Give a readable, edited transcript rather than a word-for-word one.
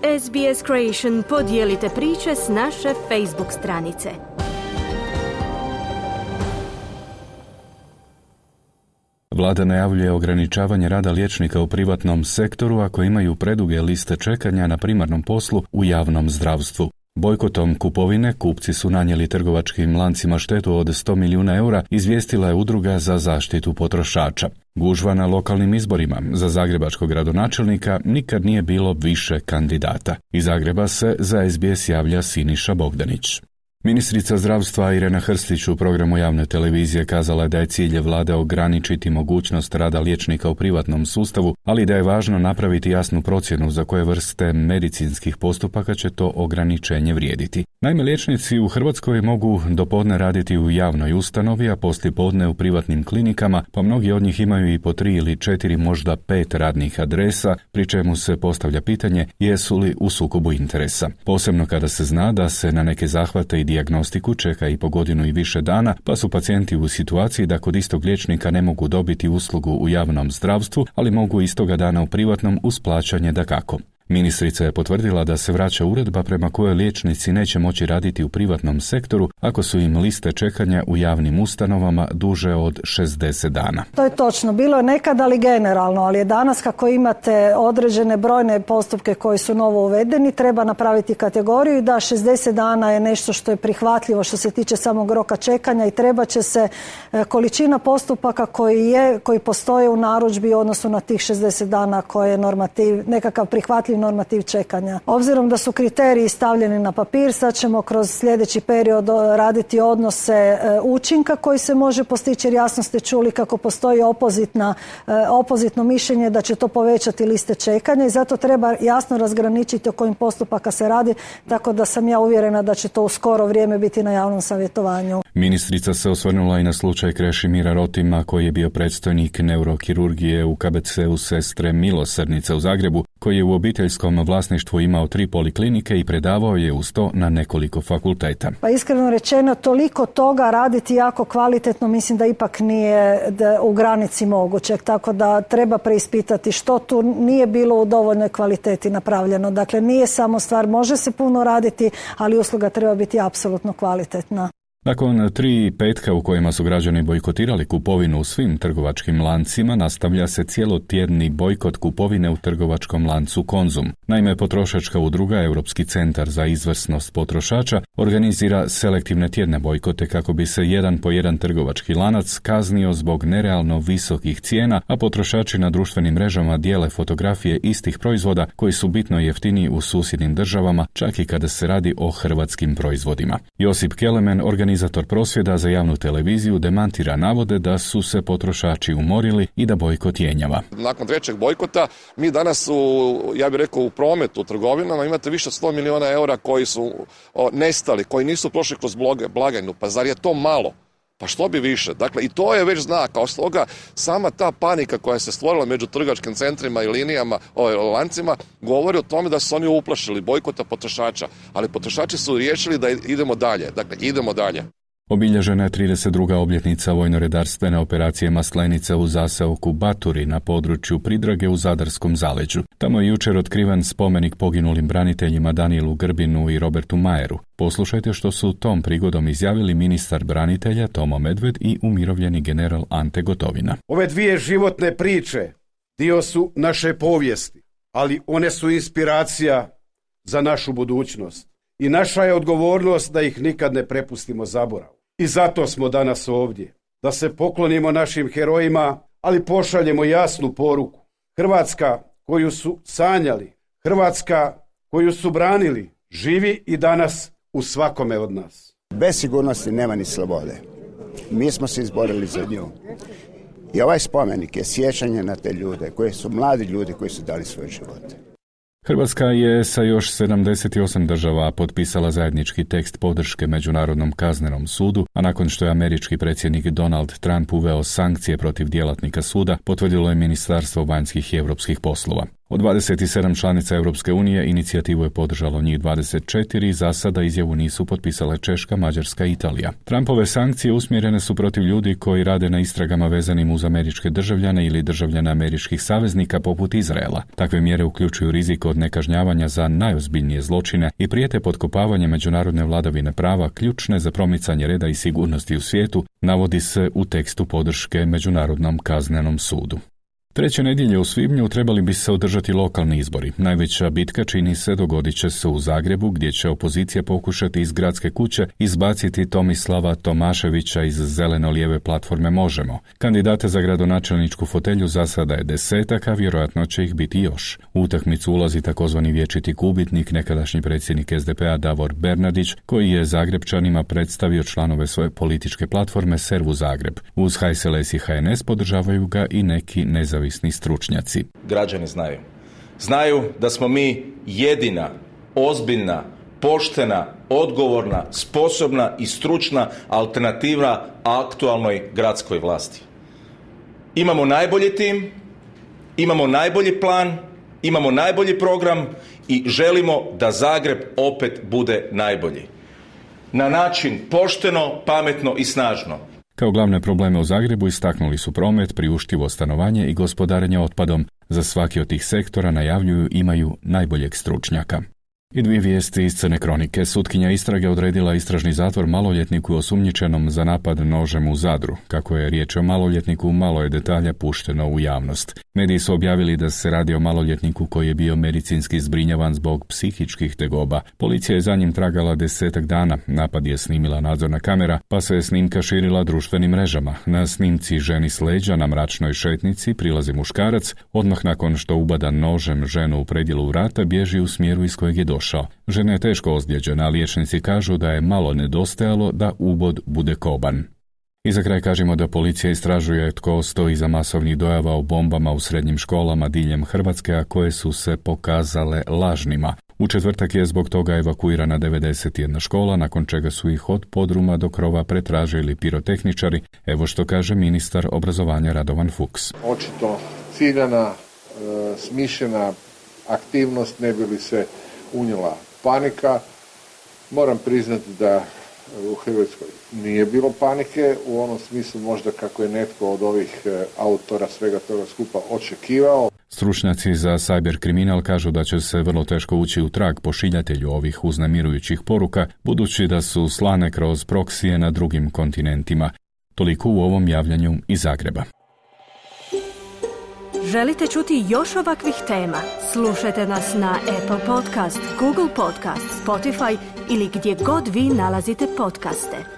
SBS Creation, podijelite priče s naše Facebook stranice. Vlada najavljuje ograničavanje rada liječnika u privatnom sektoru ako imaju preduge liste čekanja na primarnom poslu u javnom zdravstvu. Bojkotom kupovine kupci su nanijeli trgovačkim lancima štetu od 100 milijuna eura, izvijestila je Udruga za zaštitu potrošača. Gužva na lokalnim izborima za zagrebačkog gradonačelnika nikad nije bilo više kandidata. Iz Zagreba se za SBS javlja Siniša Bogdanić. Ministrica zdravstva Irena Hrstić u programu javne televizije kazala je da je cilj vlade ograničiti mogućnost rada liječnika u privatnom sustavu, ali da je važno napraviti jasnu procjenu za koje vrste medicinskih postupaka će to ograničenje vrijediti. Naime, liječnici u Hrvatskoj mogu dopodne raditi u javnoj ustanovi, a poslijepodne u privatnim klinikama, pa mnogi od njih imaju i po 3 ili 4, možda 5 radnih adresa, pri čemu se postavlja pitanje jesu li u sukobu interesa. Posebno kada se zna da se na neke zahvate i dijagnostiku čeka i po godinu i više dana, pa su pacijenti u situaciji da kod istog liječnika ne mogu dobiti uslugu u javnom zdravstvu, ali mogu istoga dana u privatnom uz plaćanje dakako. Ministrica je potvrdila da se vraća uredba prema kojoj liječnici neće moći raditi u privatnom sektoru ako su im liste čekanja u javnim ustanovama duže od 60 dana. To je točno. Bilo je nekad, ali generalno, ali je danas kako imate određene brojne postupke koji su novo uvedeni, treba napraviti kategoriju i da 60 dana je nešto što je prihvatljivo što se tiče samog roka čekanja i treba će se količina postupaka koji postoje u narudžbi u odnosu na tih 60 dana koje je normativ, nekakav prihvatljiv normativ čekanja. Obzirom da su kriteriji stavljeni na papir, sad ćemo kroz sljedeći period raditi odnose učinka koji se može postići, jer jasno ste čuli kako postoji opozitno mišljenje da će to povećati liste čekanja i zato treba jasno razgraničiti o kojim postupaka se radi, tako da sam ja uvjerena da će to u skoro vrijeme biti na javnom savjetovanju. Ministrica se osvrnula i na slučaj Krešimira Rotima koji je bio predstojnik neurokirurgije u KBC-u Sestre Milosrdnice u Zagrebu, koji je u obiteljskom vlasništvu imao 3 poliklinike i predavao je uz to na nekoliko fakulteta. Pa iskreno rečeno, toliko toga raditi jako kvalitetno mislim da ipak nije u granici mogućeg, tako da treba preispitati što tu nije bilo u dovoljnoj kvaliteti napravljeno. Dakle, nije samo stvar, može se puno raditi, ali usluga treba biti apsolutno kvalitetna. Nakon 3 petka u kojima su građani bojkotirali kupovinu u svim trgovačkim lancima, nastavlja se cijelotjedni bojkot kupovine u trgovačkom lancu Konzum. Naime, potrošačka udruga Europski centar za izvrsnost potrošača organizira selektivne tjedne bojkote kako bi se jedan po jedan trgovački lanac kaznio zbog nerealno visokih cijena, a potrošači na društvenim mrežama dijele fotografije istih proizvoda koji su bitno jeftiniji u susjednim državama, čak i kada se radi o hrvatskim proizvodima. Josip Kelemen, organizator prosvjeda za javnu televiziju, demantira navode da su se potrošači umorili i da bojkot jenjava. Nakon 3. bojkota mi danas u prometu, u trgovinama imate više od 100 milijuna eura koji su nestali, koji nisu prošli kroz blagajnu. Pa zar je to malo? Pa što bi više? Dakle, i to je već znak. Kao stoga, sama ta panika koja se stvorila među trgovačkim centrima i linijama, lancima, govori o tome da su oni uplašili bojkota potrošača. Ali potrošači su riješili da idemo dalje. Dakle, idemo dalje. Obilježena je 32. obljetnica vojno-redarstvene operacije Maslenica u zaseoku Baturi na području Pridrage u Zadarskom zaleđu. Tamo je jučer otkriven spomenik poginulim braniteljima Danielu Grbinu i Robertu Majeru. Poslušajte što su tom prigodom izjavili ministar branitelja Tomo Medved i umirovljeni general Ante Gotovina. Ove 2 životne priče dio su naše povijesti, ali one su inspiracija za našu budućnost. I naša je odgovornost da ih nikad ne prepustimo zaboravu. I zato smo danas ovdje, da se poklonimo našim herojima, ali pošaljemo jasnu poruku. Hrvatska koju su sanjali, Hrvatska koju su branili, živi i danas u svakome od nas. Bez sigurnosti nema ni slobode. Mi smo se izborili za nju. I ovaj spomenik je sjećanje na te ljude, koji su mladi ljudi koji su dali svoje živote. Hrvatska je sa još 78 država potpisala zajednički tekst podrške Međunarodnom kaznenom sudu, a nakon što je američki predsjednik Donald Trump uveo sankcije protiv djelatnika suda, potvrdilo je Ministarstvo vanjskih i europskih poslova. Od 27 članica Europske unije inicijativu je podržalo njih 24, za sada izjavu nisu potpisale Češka, Mađarska i Italija. Trumpove sankcije usmjerene su protiv ljudi koji rade na istragama vezanim uz američke državljane ili državljane američkih saveznika poput Izraela. Takve mjere uključuju rizik od nekažnjavanja za najozbiljnije zločine i prijete potkopavanje međunarodne vladavine prava ključne za promicanje reda i sigurnosti u svijetu, navodi se u tekstu podrške Međunarodnom kaznenom sudu. Treće nedjelje u svibnju trebali bi se održati lokalni izbori. Najveća bitka čini se dogodit će se u Zagrebu, gdje će opozicija pokušati iz gradske kuće izbaciti Tomislava Tomaševića iz zeleno-lijeve platforme Možemo. Kandidata za gradonačelničku fotelju za sada je 10, a vjerojatno će ih biti još. U utakmicu ulazi takozvani vječiti gubitnik, nekadašnji predsjednik SDP-a Davor Bernardić, koji je Zagrebčanima predstavio članove svoje političke platforme Servu Zagreb. Uz HSLS i HNS podržavaju ga i neki nezavisni stručnjaci. Građani znaju. Znaju da smo mi jedina, ozbiljna, poštena, odgovorna, sposobna i stručna alternativa aktualnoj gradskoj vlasti. Imamo najbolji tim, imamo najbolji plan, imamo najbolji program i želimo da Zagreb opet bude najbolji. Na način pošteno, pametno i snažno. Kao glavne probleme u Zagrebu istaknuli su promet, priuštivo stanovanje i gospodarenje otpadom. Za svaki od tih sektora najavljuju imaju najboljeg stručnjaka. I dvije vijesti iz Crne kronike. Sutkinja istrage odredila istražni zatvor maloljetniku osumnjičenom za napad nožem u Zadru. Kako je riječ o maloljetniku, malo je detalja pušteno u javnost. Mediji su objavili da se radi o maloljetniku koji je bio medicinski zbrinjavan zbog psihičkih tegoba. Policija je za njim tragala 10 dana. Napad je snimila nadzorna kamera, pa se je snimka širila društvenim mrežama. Na snimci ženi s leđa na mračnoj šetnici prilazi muškarac. Odmah nakon što ubada nožem ženu u predjelu vrata, bježi u smjeru iz kojeg je došao. Žena je teško ozlijeđena, a liječnici kažu da je malo nedostajalo da ubod bude koban. I za kraj kažemo da policija istražuje tko stoji iza masovnih dojava o bombama u srednjim školama diljem Hrvatske, a koje su se pokazale lažnima. U četvrtak je zbog toga evakuirana 91 škola, nakon čega su ih od podruma do krova pretražili pirotehničari. Evo što kaže ministar obrazovanja Radovan Fuchs. Očito ciljana, smišljena aktivnost, ne bi li se unijela panika. Moram priznati da u Hrvatskoj nije bilo panike u onom smislu možda kako je netko od ovih autora svega toga skupa očekivao. Stručnjaci za cyber kriminal kažu da će se vrlo teško ući u trag pošiljatelju ovih uznemirujućih poruka, budući da su slane kroz proksije na drugim kontinentima. Toliko u ovom javljanju iz Zagreba. Želite čuti još ovakvih tema? Slušajte nas na Apple Podcast, Google Podcast, Spotify ili gdje god vi nalazite podcaste.